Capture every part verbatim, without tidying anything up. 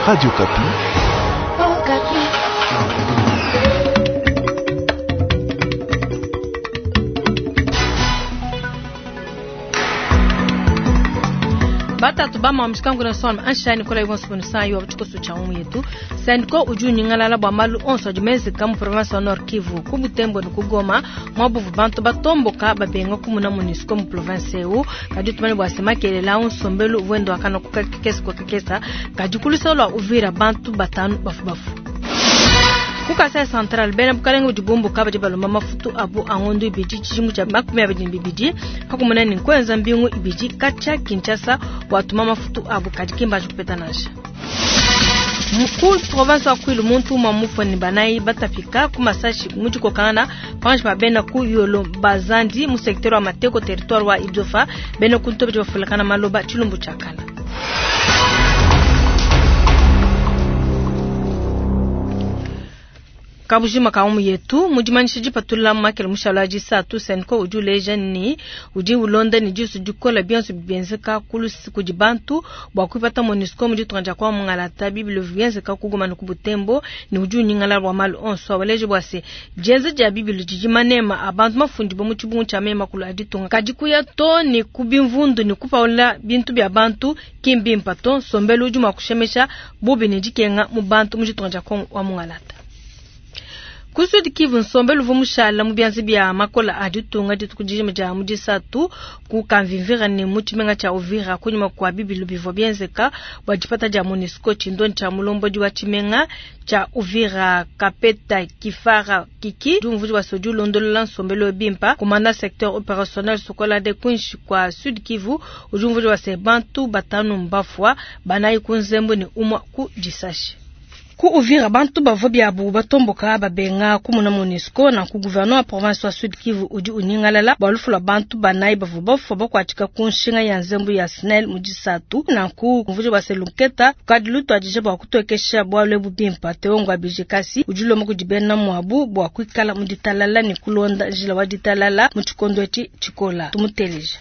Radio Okapi. Oh, Okapi. Batatu bama mshikangu na sona anshani kola ibonso bono sayo abuchikoso cha umu yetu sandiko uju nyingalala bwa malu onso jimeze kamu province wa Nord Kivu ku Butembo ni kugoma mwabuvu bantu batomboka babenga kumuna MONUSCO mu province eu kadi tumani bwa sema kelela unsombelu wendo akana kukakesa kwa kakesa kadi kulisa lwa Uvira bantu batanu bafu bafu kukasa central bena bukalenga budibumbu kabadi balomba mafutu abu angondo ibidi tshidimu tshia makumi abidi bibidi kakumuna ni nkwenza mbingu ibidi katshia Kinshasa watuma mafutu abu kadi kimbaji kupeta nansha mukulu province wa Kwilu muntu umwa mufoni banayi batapika ku masashi mujikokana panji pa bena ku yolo bazandi mu secteur wa Mateko territoire wa Idiofa bena kuntobe bafulakana maloba tshilumbu tshakala. Kabujima kaumu yetu mujimanyisha jipatula makele mushala wa jisatu senko udi uleja ni udi ulonda ni disu dikola bionso bibenzeka kulusi kudi bantu bua kuipata MONUSCO mu ditunga dia kwa mungalata bibilo bienzeka kugoma ne ku Butembo ni udi unyingala bua malu onso awaleje bua se dienza dia bibilo didi manema a bantu mafundi bo mu tshibungu tshia mema kulu a ditunga kadi kuya to ni ku bimvundu ni kupaula bintu bia bantu kimbimpa to nsombelu udi mua kushemesha bubi ne dikenga mu bantu mu ditunga dia kwa mungalata. Ku Sud Kivu nsombelu uvua mushala mu bianza bia makola a ditunga dituku dijima dia mu disatu ku Kamvimvira ne mu tshimenga tshia Uvira kunyima kua bibilu bivua bienzeka bua dipata dia MONUSCO tshindoni tshia mulombodi wa tshimenga tshia Uvira Kapeta Kifara Kiki diumvudi wa sodi ulondolola nsombelu bimpa komanda secteur opérationnel Sokola de kunshi kwa Sud Kivu udiumvudi wa se bantu batanu mbafua banayi ku nzembo ne umwa ku disashi. Ku Uvira bantu bavua biabu batomboka babenga kumuna MONUSCO na ku gouverneur wa province wa Sud Kivu udi unyingalala bua lufu lua bantu banayi bavua bafua bakuatika ku nshinga ya nzembu ya SNEL mu disatu na ku mvudi wa selunketa kadi lutuadije bua kutokesha bualu ebu bimpa Teongo abije kasi udi ulomba kudi bena muabu bua kuikala mu ditalala ne kulonda njila wa ditalala mu tshikondo etshi tshikola tumuteleja.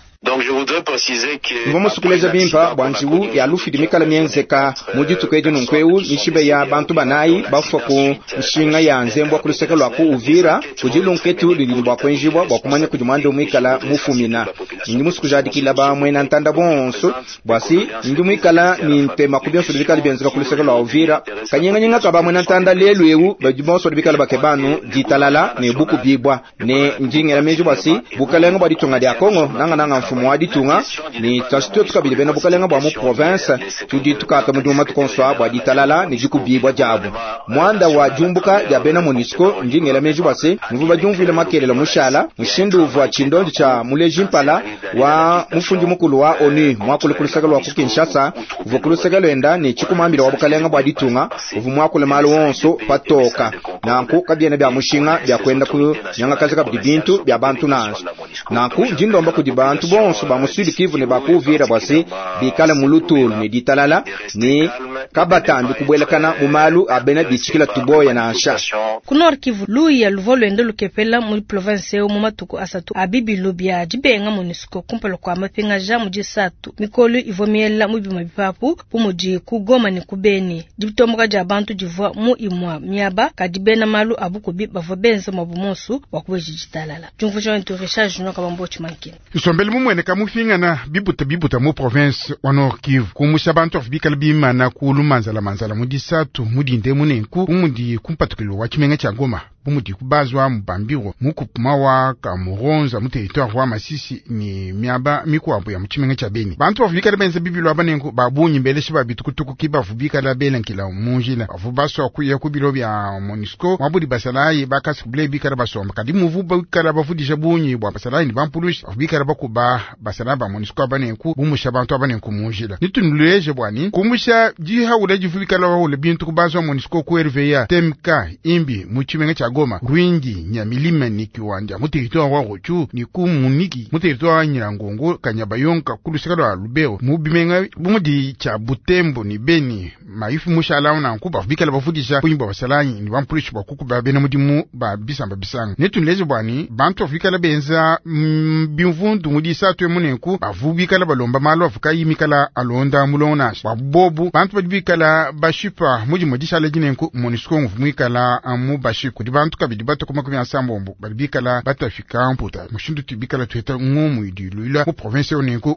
Mvua musukuleja bimpa bua njiwu ya lufu idi mikala mienzeka mu dituku edi nunku mishibe ya bantu banayi bafua ku nshinga ya nzembu ku luseke lua ku Uvira kudi lunketu ludi ne bua kuenjibua bua kumanya kudi muanda muikala mufumina. Ndi musukujadikila ba muena ntanda bonso bua si ndi muikala ni ntema ku bionso bikala bienzeka ku luseke lua Uvira kanyinganyinga ka ba muena ntanda lelu eu badi bonso bikala bakebanu ditalala ne buku bibwa ne ndingela meji bua si bukalenga bua ditunga dia Kongo nanga nanga mfumu wa ditunga ni twasituo tukabili bena bukalenga bua mu province tudi tukata mudimu matuku onso bua ditalala ne dikubibua diabu muanda wa diumbuka dia bena MONUSCO ndingela meji bua se muvua badiumvuile makelela mushala mushindu uvua tshindondi tshia muleji mpala wa mufundi mukulu wa ONU muakule ku luseke lua ku Kinshasa uvua ku luseke luenda ne tshikumambila wa bukalenga bua ditunga uvua muakule malu onso patoka nanku kabiena bia mushinga bia kuenda ku nyangakazi kabidi bintu bia bantu nansha nanku ndindomba kudi bantu bonso ba mu Sud Kivu ne ba ku Uvira bua se bikale mu lutulu ne ditalala ne kabatambi kubuelakana mu malu a bena bitshikila tuboya nansha. Ku Nord Kivu luya luvua luenda lukepela mu province eu mu matuku asatu a bibilu bia dibenga MONUSCO kumpala kua mapingaja mu disatu mikolo ivua miela mu bima bipapu bu mudi ku Goma ne ku Beni. Ditomboka dia bantu divua mu imua miaba kadi bena malu a bukubi bavua benza muabu monsu bua kubeja ditalala. Diumvuija wetu Richard Junior Kabambo Tshimankini. Isombele mumueneka mufingana bibuta bibuta mu province wa Nord Kivu kumusha bantu afu bikala bimana kulu manzala manzala mu disatu mudinde munenku umudi kumpatukilo wa tshimenga tshia Goma bumudi kubazwa mubambiro mukupuma wa kamuronza mu territoire wa Masisi ni miaba mikuabo ya mutshimenga tshia Beni. Bantu bavu bikala benza bibilu aba nenku babunyi mbeleshe ba bitukutuku ki bavu bikala belenkila munjila bavu baswa kuya ku bilo bia MONUSCO mwabudi basalayi bakasi kubile bikala basomba kadi muvu bikala bavudisha bunyi bua basalayi ni bampulushi bavu bikala bakuba basalayi ba MONUSCO aba nenku bumusha bantu aba nenku munjila nitunuleje bwani kumusha dihaula divu bikala bahula bintu kubazwa MONUSCO ku R V A T M K imbi mutshimenga tshia Goma, Rwindi, Nyamilima ni Kiwanja mu territoire wa Rutshuru ni ku Munigi mu territoire wa Nyiragongo, Kanyabayonga ku luseke lwa Lubero mu bimenga bumudi tshia Butembo ni Beni maifu mushala nanku bavua bikala bavudisha bungi bwa basalayi ni bampulushi bua kukuba bena mudimu ba bisamba bisanga. Netunuleze bua ne bantu bavua bikala benza mm, bimvundu mu disatu emu nenku bavua bikala balomba malu avua kayi mikala alonda mulongo nansha bua bobu bantu badi bikala bashipa mu dimue dishala edi nenku MONUSCO nguvua muikala mu bashipa kudi bantu kabidi batue ku makumi asambombo badi bikala batafika mputa mushindu utu bikala tuheta ngumu idi iluila mu province ewu nenku.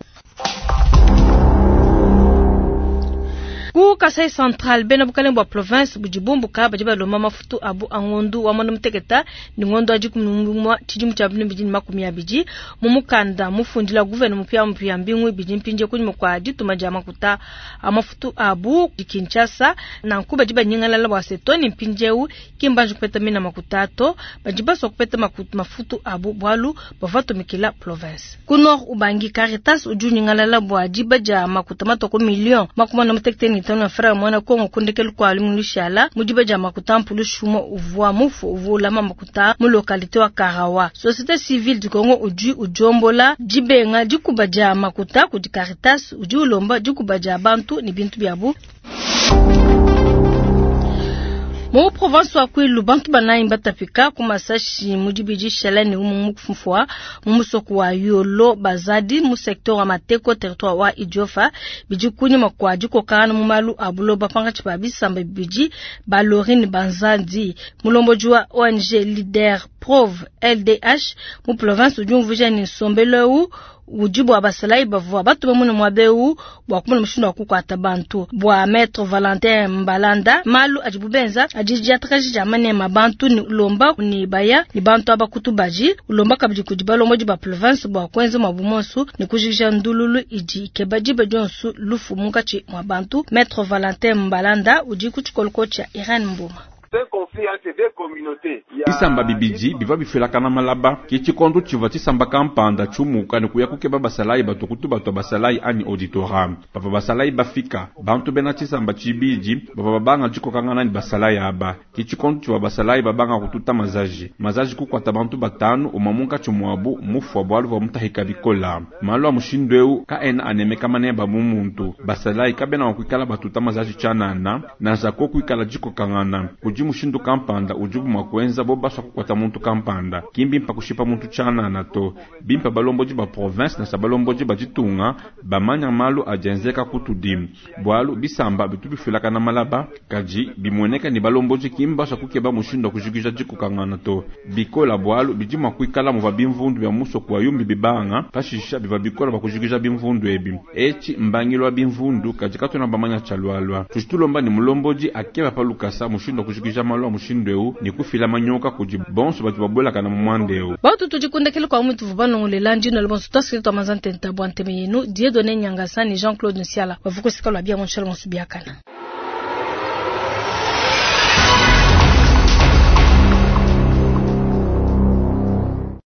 Ku Kasai Central bena bukalenge bua province budi bumbuka badi balomba mafutu abu a ngondu wa muanda muteketa ni ngondu wa dikumi n'umue tshidimu tshia bibidi ne makumi abidi mu mukanda mufundila gouverneur mupiamupia mbingu ibidi mpindie kunyima kua dituma dia makuta a mafutu abu di Kinshasa nanku badi banyingalala bua se to ni mpindieu ki mbanji kupeta mina makuta to badi basua kupeta makuta mafutu abu bualu bavua batumikila province. Ku Nord Ubangi Caritas udi unyingalala bua diba dia makuta matua ku million makumi muanda mutekete ne itanu ya franga muena Kongo kundekelu kua lumingu lushala mu diba dia makuta mpulushi umue uvua mufu uvua ulama makuta mu localité wa Karawa. Société civile du Congo udi udiombola dibenga dikuba dia makuta kudi Caritas udi ulomba dikuba dia bantu ne bintu biabu. Mu province wa Kwilu bantu banayi batapika ku masashi mu dibidi shala ne umue mufua mu musoko wa Yolo Bazadi mu secteur wa Mateko territoire wa Idiofa bidi kunyima kua dikokangana mu malu a buloba pankatshi pa bisamba bibidi Balorine Banzandi mulombodi wa O N G Leader Prov L D H mu province udi umvuija ne nsombelu eu udi bua basalayi bavua batume mune muaba eu bua kumona mushindu wa kukuata bantu. Bua Maître Valentin Mbalanda malu adibu benza adi diatakaji dia manema bantu ni ulomba ni baya ni bantu aba kutubaji ulomba kabidi kudi balombodi ba province bua kuenza muabu monsu ni kujikija ndululu idi ikeba diba dionsu lufu munkatshi mua bantu. Maître Valentin Mbalanda udi ku tshikoloko tshia Irene Mboma. Bisamba bibidi biva bifelakana malaba ke tshikondo tshivua tshisamba kampanda tshiumuka ne kuya kukeba basalayi bato kutu bato basalayi anyi auditora. Bavua basalayi bafika bantu bena tshisamba tshibidi bavua babanga dikokangana ne basalayi aba. Ke tshikondo tshivua basalayi babanga kututa mazaji mazaji kukuata bantu batanu umue munkatshi muabu mufua bualu bua mutahika bikola. Malu a mushindu eu kaena anemeka maneba mu muntu. Basalayi kabena mua kuikala batuta mazaji tshianana nansha ko kuikala dikokangana kudi mushindu kampanda udibu mua kuenza bo basua kukuata muntu kampanda. Ki mbimpa kushipa muntu tshianana to. Bimpa balombodi ba province nansha balombodi ba ditunga bamanya malu adi enzeka kutudi. Bualu bisamba bitu bifelakana malaba kadi bimueneka ne balombodi ki mbasua kukeba mushindu wa kujikija dikokangana to. Bikola bualu bidi mua kuikala muvua bimvundu bia musoko wa yumbi bibanga pashisha biva bikola bua kujikija bimvundu ebi. Etshi mbangilu wa bimvundu kadi katuena bamanya tshialualua. Tudi tulomba ne mulombodi akeba pa lukasa mushindu wa kujikija malu a mushindu eu ne kufila manyoka kudi bonso badi babuelakana mu muanda eu. Batu tudi kundekela kwa mutu vanongolela ndino le bonso tasiri twa mazantenta bua nteme yenu Dieudonné Nyangasa ne Jean-Claude Nsiala bavuka sika lwa bia monshalo monso biakana.